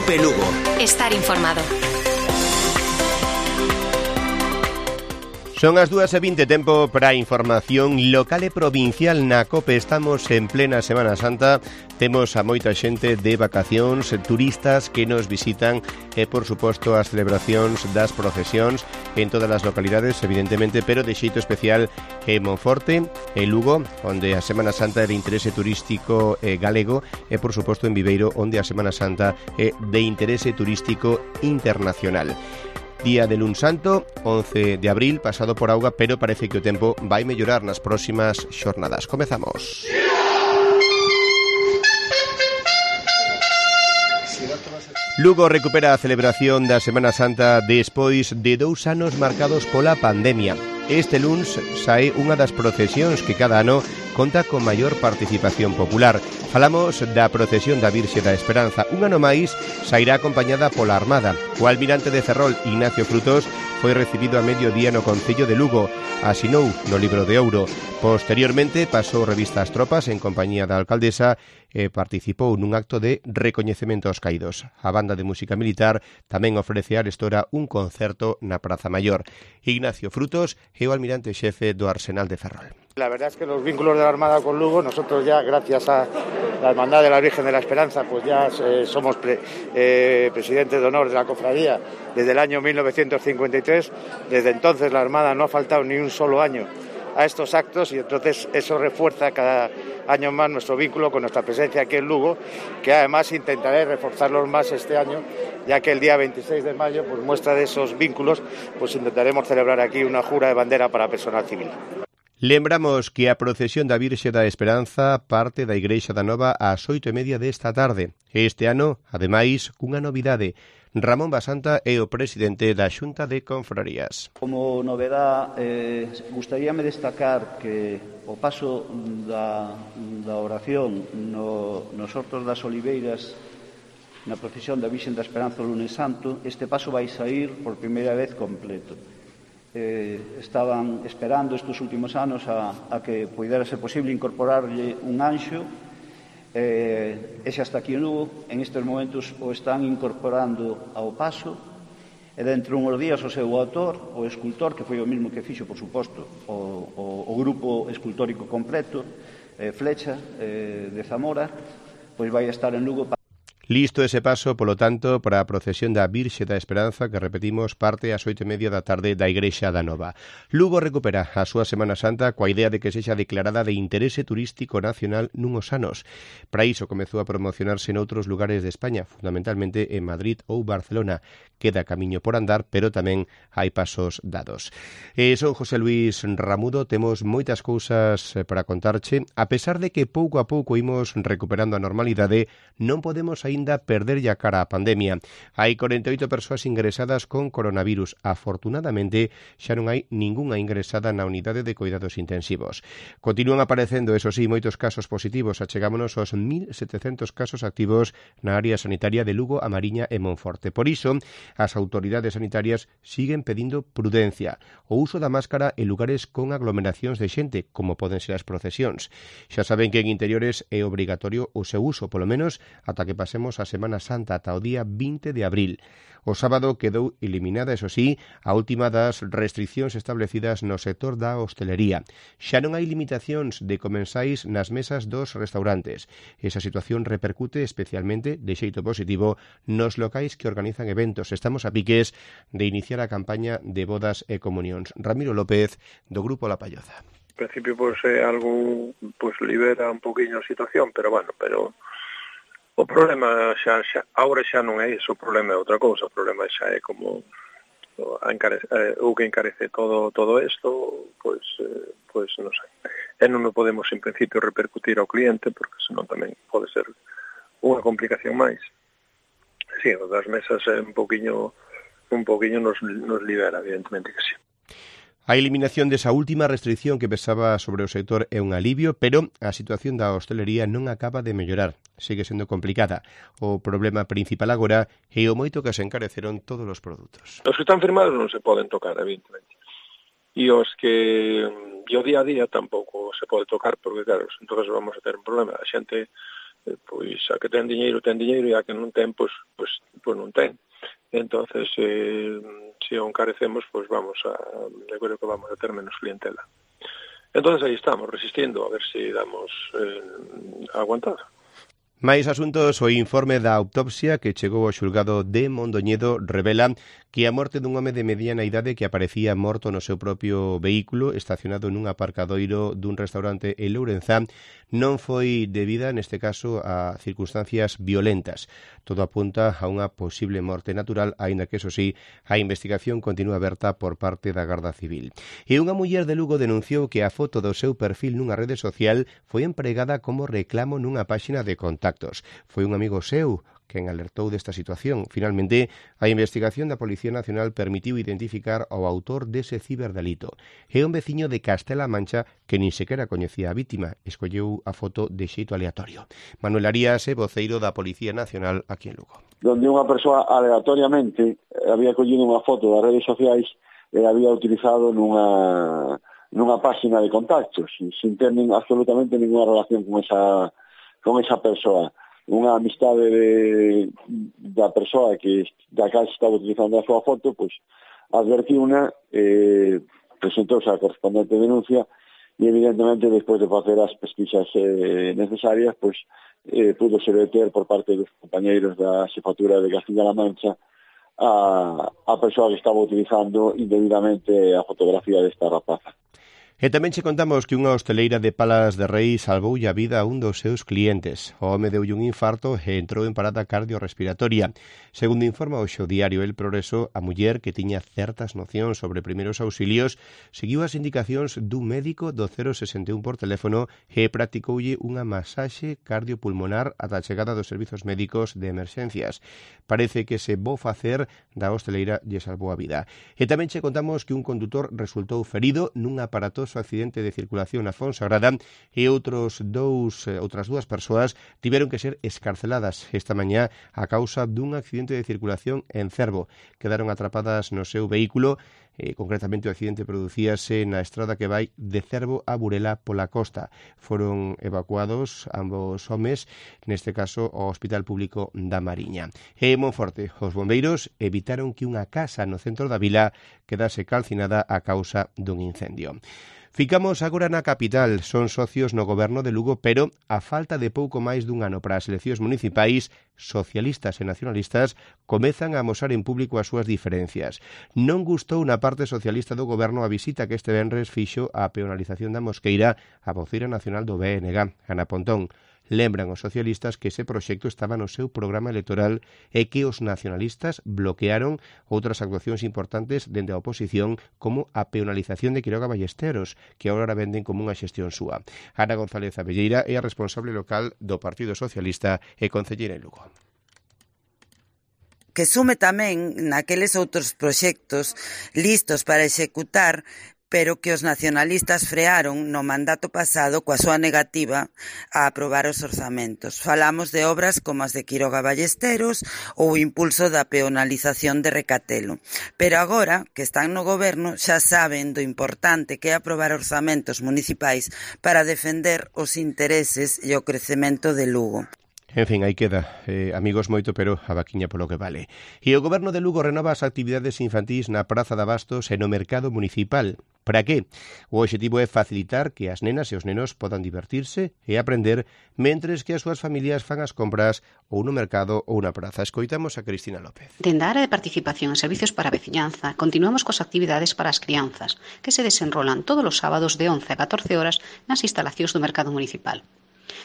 Cope Lugo. Estar informado. Son as 2:20, tempo para información local e provincial na COPE. Estamos en plena Semana Santa, temos a moita xente de vacacións, turistas que nos visitan e, por suposto, as celebracións das procesións en todas as localidades, evidentemente, pero de xeito especial en Monforte, en Lugo, onde a Semana Santa é de interese turístico galego, e, por suposto, en Viveiro, onde a Semana Santa é de interese turístico internacional. Día de Luns Santo, 11 de abril, pasado por auga, pero parece que o tempo vai mellorar nas próximas xornadas. Comezamos. Lugo recupera a celebración da Semana Santa despois de 2 anos marcados pola pandemia. Este luns sae unha das procesións que cada ano conta con maior participación popular. Falamos da procesión da Virxe da Esperanza. Un ano máis sairá acompañada pola Armada. O almirante de Ferrol, Ignacio Frutos, foi recibido a mediodía no Concello de Lugo. Asinou no libro de ouro. Posteriormente pasou revista ás tropas en compañía da alcaldesa e participou nun acto de recoñecemento aos caídos. A banda de música militar tamén ofrece a arestora un concerto na Praza Maior. Ignacio Frutos é o almirante xefe do Arsenal de Ferrol. La verdad es que los vínculos de la Armada con Lugo, nosotros ya, gracias a la Hermandad de la Virgen de la Esperanza, pues ya somos presidentes de honor de la cofradía desde el año 1953. Desde entonces la Armada no ha faltado ni un solo año a estos actos y entonces eso refuerza cada año más nuestro vínculo con nuestra presencia aquí en Lugo, que además intentaré reforzarlos más este año, ya que el día 26 de mayo, pues muestra de esos vínculos, pues intentaremos celebrar aquí una jura de bandera para personal civil. Lembramos que a procesión da Virxe da Esperanza parte da Igrexa da Nova ás 8:30 desta tarde. Este ano, ademais, cunha novidade. Ramón Basanta é o presidente da Xunta de Confrarías. Como novedade, gustaríame destacar que o paso da oración nos Hortos das Oliveiras na procesión da Virxe da Esperanza o lunes santo, este paso vai sair por primeira vez completo. Estaban esperando estes últimos anos a que pudera ser posible incorporarlle un anxo, e xa está aquí en Lugo. En estes momentos o están incorporando ao paso, e dentro de uns días o seu autor, o escultor, que foi o mesmo que fixo, por suposto, o grupo escultórico completo, Flecha, de Zamora, pois vai estar en Lugo. Listo ese paso, polo tanto, para a procesión da Virxe da Esperanza, que repetimos, parte ás 8:30 da tarde da Igrexa da Nova. Lugo recupera a súa Semana Santa coa idea de que sexa declarada de interese turístico nacional nunhos anos. Para iso comezou a promocionarse noutros lugares de España, fundamentalmente en Madrid ou Barcelona. Queda camiño por andar, pero tamén hai pasos dados. Son José Luis Ramudo, temos moitas cousas para contarche. A pesar de que pouco a pouco imos recuperando a normalidade, non podemos aínda perderlle a cara á pandemia. Hai 48 persoas ingresadas con coronavirus. Afortunadamente, xa non hai ningunha ingresada na unidade de cuidados intensivos. Continúan aparecendo, eso sí, moitos casos positivos. Achegámonos aos 1.700 casos activos na área sanitaria de Lugo, A Mariña e Monforte. Por iso, as autoridades sanitarias siguen pedindo prudencia, o uso da máscara en lugares con aglomeracións de xente, como poden ser as procesións. Xa saben que en interiores é obrigatorio o seu uso, polo menos ata que pasemos a Semana Santa, ata o día 20 de abril. O sábado quedou eliminada, eso sí, a última das restriccións establecidas no sector da hostelería. Xa non hai limitacións de comensais nas mesas dos restaurantes. Esa situación repercute especialmente, de xeito positivo, nos locais que organizan eventos. Estamos a piques de iniciar a campaña de bodas e comunións. Ramiro López, do Grupo La Palloza. En principio, algo libera un poquinho a situación, pero o problema agora xa non é iso, o problema é outra cousa, o problema xa é como o que encarece todo isto, pois non sei. E non o podemos en principio repercutir ao cliente, porque senón tamén pode ser unha complicación máis. Sí, o das mesas é un poquinho nos libera, evidentemente que sí. A eliminación desa última restricción que pesaba sobre o sector é un alivio, pero a situación da hostelería non acaba de mellorar. Sigue sendo complicada. O problema principal agora é o moito que se encareceron todos os produtos. Os que están firmados non se poden tocar, evidentemente. e os que o día a día tampouco se pode tocar, porque claro, entonces vamos a ter un problema. A xente, pois, a que ten diñeiro, e a que non ten, pois non ten. Entonces, se o encarecemos, pois eu creo que vamos a ter menos clientela. Entonces aí estamos, resistindo, a ver se damos aguantado. Máis asuntos, o informe da autopsia que chegou ao xulgado de Mondoñedo revela que a morte dun home de mediana idade que aparecía morto no seu propio vehículo estacionado nun aparcadoiro dun restaurante en Lourenzán non foi debida, neste caso, a circunstancias violentas. Todo apunta a unha posible morte natural, aínda que, eso sí, a investigación continúa aberta por parte da Garda Civil. E unha muller de Lugo denunciou que a foto do seu perfil nunha rede social foi empregada como reclamo nunha páxina de contactos. Foi un amigo seu quen alertou desta situación. Finalmente, a investigación da Policía Nacional permitiu identificar ao autor dese ciberdelito. É un veciño de Castela Mancha que nin sequera coñecía a vítima. Escolleu a foto de xeito aleatorio. Manuel Arías é voceiro da Policía Nacional aquí en Lugo. Donde unha persoa aleatoriamente había collido unha foto das redes sociais e había utilizado nunha páxina de contactos, sin ter absolutamente ninguna relación con esa persoa. Unha amistade da persoa da cal estaba utilizando a súa foto, pois advertiuna, presentouse a correspondente denuncia e evidentemente despois de facer as pesquisas necesarias, pois púdose deter por parte dos compañeiros da Xefatura de Castilla-La Mancha a persoa que estaba utilizando indebidamente a fotografía desta rapaza. E tamén che contamos que unha hosteleira de Palas de Rei salvoulle a vida a un dos seus clientes. O home deulle un infarto e entrou en parada cardiorrespiratoria. Segundo informa hoxe o diario El Progreso, a muller, que tiña certas nocións sobre primeiros auxilios, seguiu as indicacións dun médico do 061 por teléfono e practicoulle unha masaxe cardiopulmonar ata a chegada dos servizos médicos de emerxencias. Parece que se bo facer da hosteleira lle salvou a vida. E tamén che contamos que un condutor resultou ferido nun aparatoso accidente de circulación na Fonsagrada e outras dúas persoas tiveron que ser escarceladas esta mañá a causa dun accidente de circulación en Cervo. Quedaron atrapadas no seu vehículo. Concretamente o accidente producíase na estrada que vai de Cervo a Burela pola costa. Foron evacuados ambos homes, neste caso ao Hospital Público da Mariña. E en Monforte, os bombeiros evitaron que unha casa no centro da vila quedase calcinada a causa dun incendio. Ficamos agora na capital. Son socios no goberno de Lugo, pero a falta de pouco máis dun ano para as eleccións municipais, socialistas e nacionalistas comezan a amosar en público as súas diferencias. Non gustou na parte socialista do goberno a visita que este venres fixo a peonalización da Mosqueira a voceira nacional do BNG, Ana Pontón. Lembran os socialistas que ese proxecto estaba no seu programa electoral e que os nacionalistas bloquearon outras actuacións importantes dende a oposición, como a peonalización de Quiroga Ballesteros, que agora venden como unha xestión súa. Ana González Abelleira é a responsable local do Partido Socialista e concelleira en Lugo. Que sume tamén naqueles outros proxectos listos para executar, pero que os nacionalistas frearon no mandato pasado coa súa negativa a aprobar os orzamentos. Falamos de obras como as de Quiroga Ballesteros ou o impulso da peonalización de Recatelo. Pero agora, que están no goberno, xa saben do importante que é aprobar orzamentos municipais para defender os intereses e o crecemento de Lugo. En fin, aí queda, amigos, moito, pero a vaquiña polo que vale. E o goberno de Lugo renova as actividades infantís na Praza de Abastos e no mercado municipal. Para que? O obxectivo é facilitar que as nenas e os nenos podan divertirse e aprender mentres que as súas familias fan as compras ou no mercado ou na praza. Escoitamos a Cristina López. Dende a área de participación en servicios para a veciñanza, continuamos cos actividades para as crianzas, que se desenrolan todos os sábados de 11 a 14 horas nas instalacións do mercado municipal.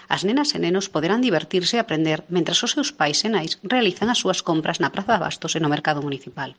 As nenas e nenos poderán divertirse e aprender mentras os seus pais e nais realizan as súas compras na Praza de Abastos e no mercado municipal.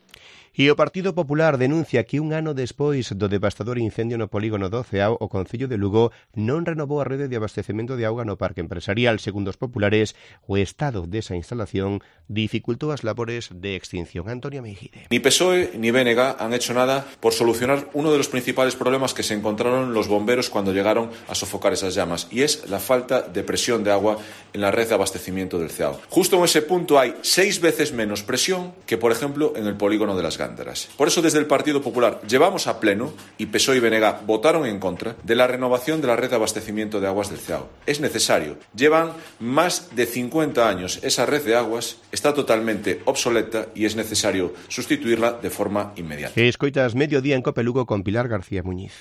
E o Partido Popular denuncia que un ano despois do devastador incendio no polígono do Ceao, o Concello de Lugo non renovou a rede de abastecemento de auga no parque empresarial. Segundo os populares, o estado desa instalación dificultou as labores de extinción. Antonio Meijide. Ni PSOE ni BNG han hecho nada por solucionar uno de los principales problemas que se encontraron los bomberos cuando llegaron a sofocar esas llamas, y es la falta de presión de agua en la red de abastecimiento del Ceao. Justo en ese punto hay 6 veces menos presión que, por ejemplo, en el polígono de Las Garzas. Gándaras. Por eso, desde el Partido Popular llevamos a pleno, y PSOE y BNG votaron en contra, de la renovación de la red de abastecimiento de aguas del CEAO. Es necesario. Llevan más de 50 años esa red de aguas, está totalmente obsoleta y es necesario sustituirla de forma inmediata. Escoitas Mediodía en Cope Lugo con Pilar García Muñiz.